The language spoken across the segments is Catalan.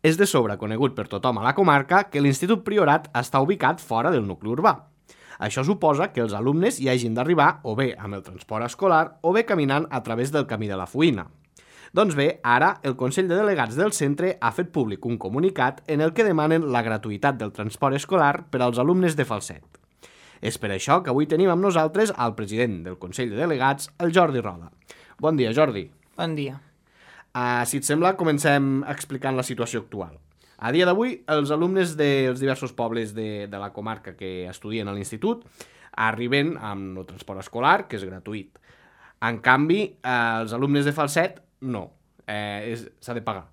És de sobre conegut per tothom a la comarca que l'Institut Priorat està ubicat fora del nucli urbà. Això suposa que els alumnes hi hagin d'arribar o bé amb el transport escolar o bé caminant a través del camí de la Fuïna. Doncs bé, ara el Consell de Delegats del centre ha fet públic un comunicat en el que demanen la gratuïtat del transport escolar per als alumnes de Falset. És per això que avui tenim amb nosaltres el president del Consell de Delegats, el Jordi Roda. Bon dia, Jordi. Bon dia. Si et sembla, comencem explicant la situació actual. A dia d'avui, els alumnes dels diversos pobles de la comarca que estudien a l'institut arriben amb el transport escolar, que és gratuït. En canvi, els alumnes de Falset, no. S'ha de pagar.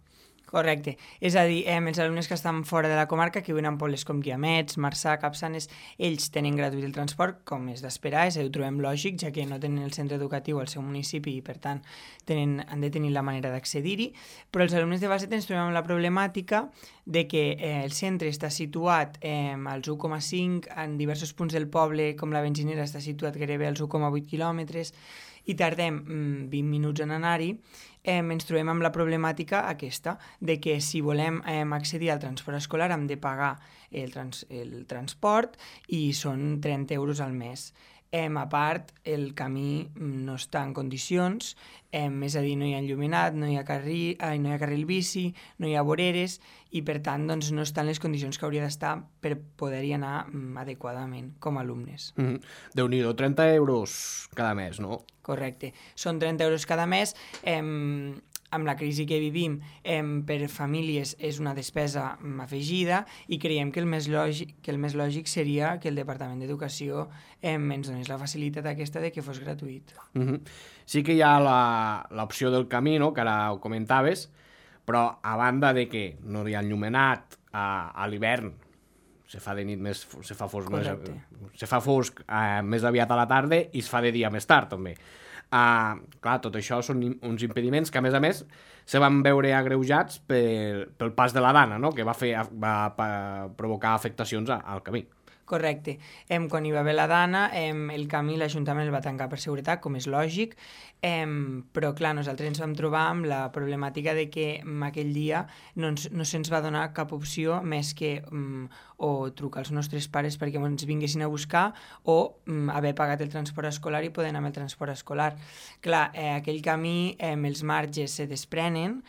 Correcte. És a dir, els alumnes que estan fora de la comarca, que viuen en pobles com Guiamets, Marçà, Capçanes, ells tenen gratuït el transport, com és d'esperar, ho trobem lògic, ja que no tenen el centre educatiu al seu municipi i, per tant, han de tenir la manera d'accedir-hi. Però els alumnes de Falset ens trobem amb la problemàtica de que el centre està situat als 1,5, en diversos punts del poble, com la Benzinera, està situat gairebé als 1,8 quilòmetres, i tardem 20 minuts en anar-hi. Ens trobem amb la problemàtica aquesta, de que si volem accedir al transport escolar hem de pagar el transport i són 30 euros al mes. A part, el camí no està en condicions, és a dir, no hi ha enllumenat, no hi ha carril bici, no hi ha voreres i, per tant, doncs, no estan les condicions que hauria d'estar per poder-hi anar adequadament com a alumnes. Déu-n'hi-do, 30 euros cada mes, no? Correcte. Són 30 euros cada mes. Amb la crisi que vivim, per famílies és una despesa afegida i creiem que el més lògic seria que el Departament d'Educació ens donés la facilitat aquesta de que fos gratuït. Sí que hi ha l'opció del camí, no?, que ara ho comentaves, però a banda de que no hi ha enllumenat a l'hivern, se fa de nit se fa fosc més aviat a la tarda i es fa de dia més tard, també. Clar, tot això són uns impediments que, a més, se van veure agreujats pel pas de la Dana, no?, que va provocar afectacions al camí. Correcte. Quan hi va haver la Dana, el camí l'Ajuntament el va tancar per seguretat, com és lògic, però clar, nosaltres ens vam trobar amb la problemàtica de que aquell dia no se'ns va donar cap opció més que o trucar als nostres pares perquè ens vinguessin a buscar o haver pagat el transport escolar i poder anar amb el transport escolar. Clar, aquell camí, els marges se desprenen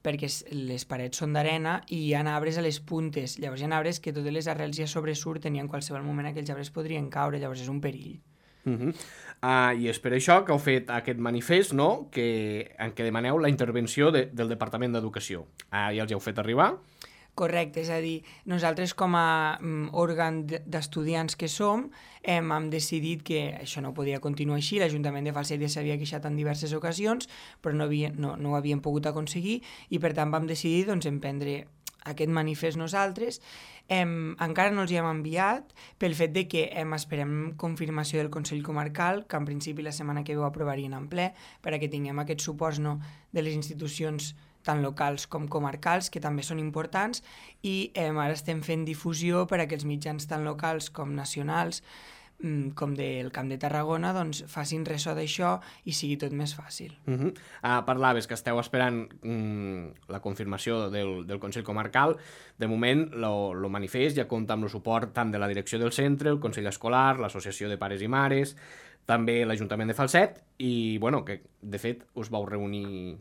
perquè les parets són d'arena i hi ha arbres a les puntes. Llavors hi ha arbres que totes les arrels ja sobresurten i en qualsevol moment aquells arbres podrien caure, llavors és un perill. I és per això que heu fet aquest manifest, no?, en què demaneu la intervenció del Departament d'Educació. Ja els heu fet arribar? Correcte, és a dir, nosaltres com a òrgan d'estudiants que som hem decidit que això no podia continuar així. L'Ajuntament de Falset ja s'havia queixat en diverses ocasions, però no ho havíem pogut aconseguir i per tant vam decidir emprendre aquest manifest nosaltres. Encara no els hi hem enviat pel fet de que esperem confirmació del Consell Comarcal, que en principi la setmana que ve ho aprovarien en ple, perquè tinguem aquests suports de les institucions tant locals com comarcals, que també són importants, i ara estem fent difusió per a que els mitjans tant locals com nacionals, com del Camp de Tarragona, doncs facin ressò d'això i sigui tot més fàcil. Parlaves que esteu esperant la confirmació del Consell Comarcal. De moment, el manifest ja compta amb el suport tant de la direcció del centre, el Consell Escolar, l'Associació de Pares i Mares, també l'Ajuntament de Falset, i que de fet us vau reunir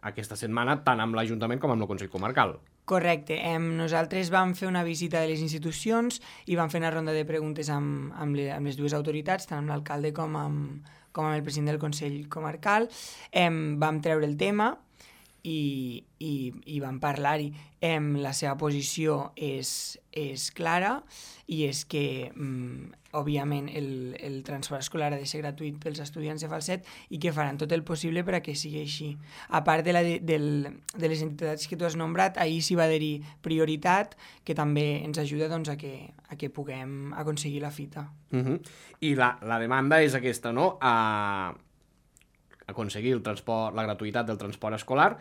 aquesta setmana tant amb l'Ajuntament com amb el Consell Comarcal. Correcte. Nosaltres vam fer una visita de les institucions i vam fer una ronda de preguntes amb les dues autoritats, tant amb l'alcalde com amb el president del Consell Comarcal. Vam treure el tema i vam parlar-hi. La seva posició és clara i és que, òbviament, el transport escolar ha de ser gratuït pels estudiants de Falset i que faran tot el possible per a que sigui així. A part de les entitats que tu has nombrat, ahir s'hi va haver-hi prioritat, que també ens ajuda a que puguem aconseguir la fita. I la demanda és aquesta, no?, aconseguir la gratuïtat del transport escolar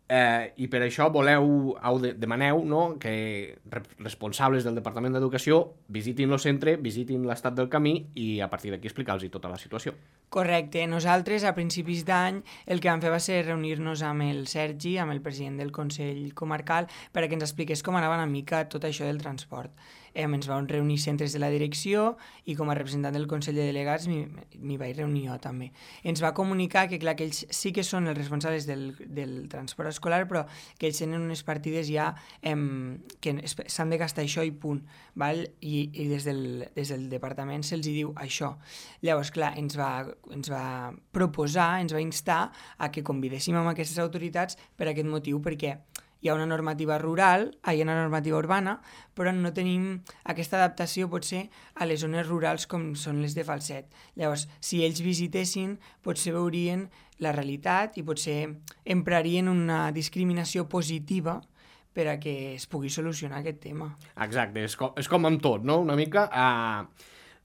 I per això demaneu, no, que responsables del Departament d'Educació visitin el centre, visitin l'estat del camí i a partir d'aquí explicar-los tota la situació. Correcte. Nosaltres, a principis d'any, el que vam fer va ser reunir-nos amb el Sergi, amb el president del Consell Comarcal, perquè ens expliqués com anava una mica tot això del transport. Ens vam reunir centres de la direcció i com a representant del Consell de Delegats m'hi vaig reunir jo també. Ens va comunicar que, clar, que ells sí que són els responsables del transport escolar, però que ells tenen unes partides ja que s'han de gastar això i punt, val? I des del departament se'ls diu això. Llavors, clar, ens va proposar, ens va instar a que convidéssim amb aquestes autoritats per aquest motiu, perquè hi ha una normativa urbana, però no tenim aquesta adaptació potser a les zones rurals com són les de Falset. Llavors, si ells visitessin, potser veurien la realitat i potser emprarien una discriminació positiva per a que es pugui solucionar aquest tema. Exacte, és com amb tot, no? Una mica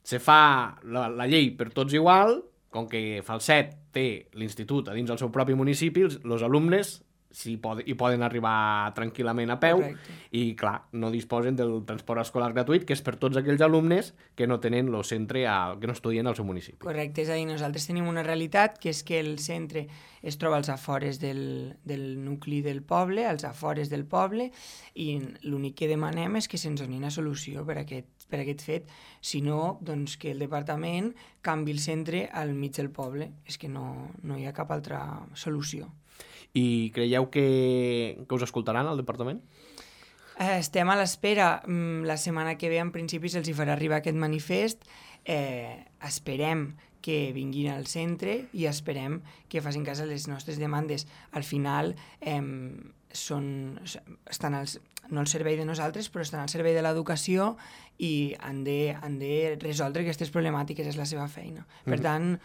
se fa la llei per tots igual, com que Falset té l'institut a dins del seu propi municipi, els alumnes hi poden arribar tranquil·lament a peu. Correcte. I, clar, no disposen del transport escolar gratuït, que és per tots aquells alumnes que no tenen el centre, que no estudien al seu municipi. Correcte, és a dir, nosaltres tenim una realitat, que és que el centre es troba als afores del nucli del poble, als afores del poble, i l'únic que demanem és que se'ns doni una solució per aquest fet, si no, doncs que el departament canvi el centre al mig del poble. És que no hi ha cap altra solució. I creieu que us escoltaran al departament? Estem a l'espera. La setmana que ve, en principi, se'ls farà arribar aquest manifest. Esperem que vinguin al centre i esperem que facin cas a les nostres demandes. Al final, estan no al servei de nosaltres, però estan al servei de l'educació i han de resoldre aquestes problemàtiques, és la seva feina. Per tant,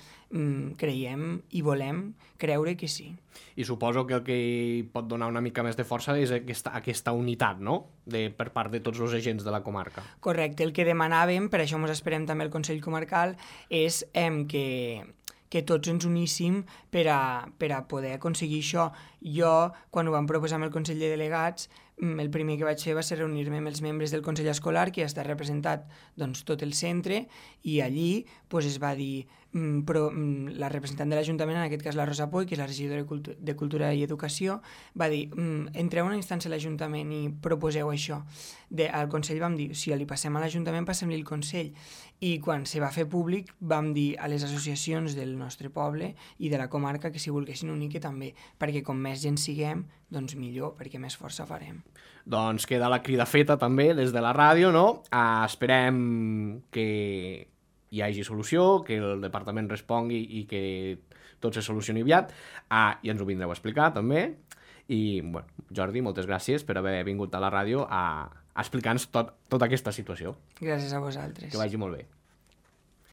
creiem i volem creure que sí. I suposo que el que hi pot donar una mica més de força és aquesta unitat, no?, per part de tots els agents de la comarca. Correcte. El que demanàvem, per això ens esperem també al Consell Comarcal, és que tots ens uníssim per a poder aconseguir això. Jo, quan ho vam proposar amb el Consell de Delegats, el primer que vaig fer va ser reunir-me amb els membres del Consell Escolar, que ja està representat tot el centre, i allí es va dir, la representant de l'Ajuntament, en aquest cas la Rosa Poy, que és la regidora de Cultura i Educació, va dir, entreu a una instància a l'Ajuntament i proposeu això. Al Consell vam dir, si li passem a l'Ajuntament, passem-li el Consell. I quan se va fer públic vam dir a les associacions del nostre poble i de la comarca que si volguessin unir que també, perquè com més gent siguem, doncs millor, perquè més força farem. Doncs queda la crida feta també des de la ràdio, no? Esperem que hi hagi solució, que el departament respongui i que tot se solucioni aviat, i ens ho vindreu a explicar també. I, bueno, Jordi, moltes gràcies per haver vingut a la ràdio a explicar-nos tota aquesta situació. Gràcies a vosaltres. Que vagi molt bé.